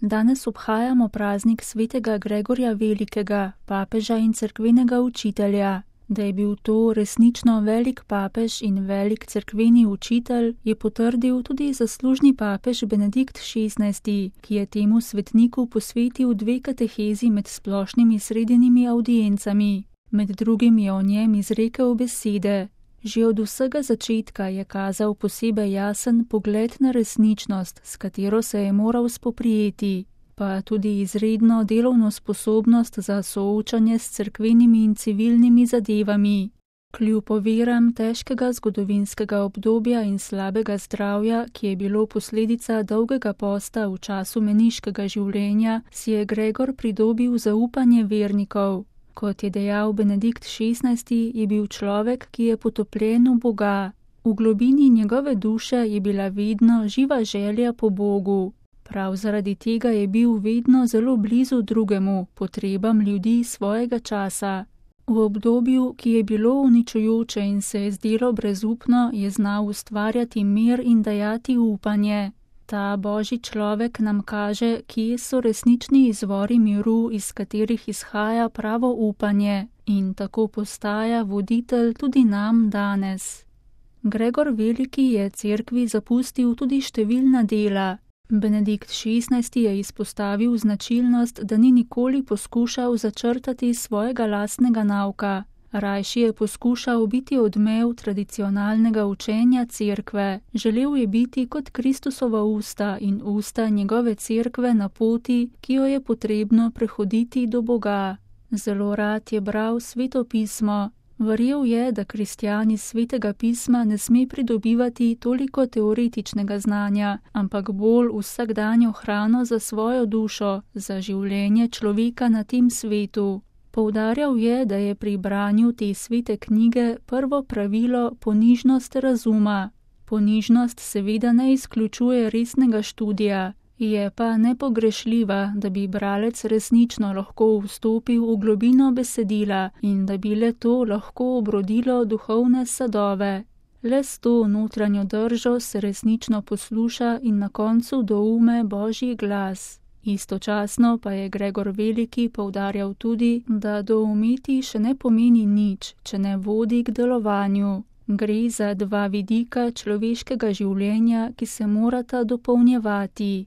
Danes obhajamo praznik svetega Gregorja Velikega, papeža in cerkvenega učitelja. Da je bil to resnično velik papež in velik cerkveni učitelj, je potrdil tudi zaslužni papež Benedikt XVI, ki je temu svetniku posvetil 2 katehezi med splošnimi sredinimi avdiencami. Med drugim je o njem izrekel besede. Že od vsega začetka je kazal posebej jasen pogled na resničnost, s katero se je moral spoprijeti, pa tudi izredno delovno sposobnost za soočanje s cerkvenimi in civilnimi zadevami. Kljub oviram težkega zgodovinskega obdobja in slabega zdravja, ki je bilo posledica dolgega posta v času meniškega življenja, si je Gregor pridobil zaupanje vernikov. Kot je dejal Benedikt XVI, je bil človek, ki je potopljen v Boga. V globini njegove duše je bila vedno živa želja po Bogu. Prav zaradi tega je bil vedno zelo blizu drugemu, potrebam ljudi svojega časa. V obdobju, ki je bilo uničujoče in se je zdelo brezupno, je znal ustvarjati mir in dajati upanje. Ta božji človek nam kaže, kje so resnični izvori miru, iz katerih izhaja pravo upanje, in tako postaja voditelj tudi nam danes. Gregor Veliki je cerkvi zapustil tudi številna dela. Benedikt XVI je izpostavil značilnost, da ni nikoli poskušal začrtati svojega lastnega nauka. Rajši je poskušal biti odmev tradicionalnega učenja cerkve. Želel je biti kot Kristusova usta in usta njegove cerkve na poti, ki jo je potrebno prehoditi do Boga. Zelo rad je bral Sveto pismo. Verjel je, da kristjan iz Svetega pisma ne sme pridobivati toliko teoretičnega znanja, ampak bolj vsakdanjo hrano za svojo dušo, za življenje človeka na tem svetu. Poudarjal je, da je pri branju te svete knjige prvo pravilo ponižnost razuma. Ponižnost seveda ne izključuje resnega študija, je pa nepogrešljiva, da bi bralec resnično lahko vstopil v globino besedila in da bi le to lahko obrodilo duhovne sadove. Le s to notranjo držo se resnično posluša in na koncu doume Božji glas. Istočasno pa je Gregor Veliki poudarjal tudi, da doumeti še ne pomeni nič, če ne vodi k delovanju. Gre za 2 vidika človeškega življenja, ki se morata dopolnjevati.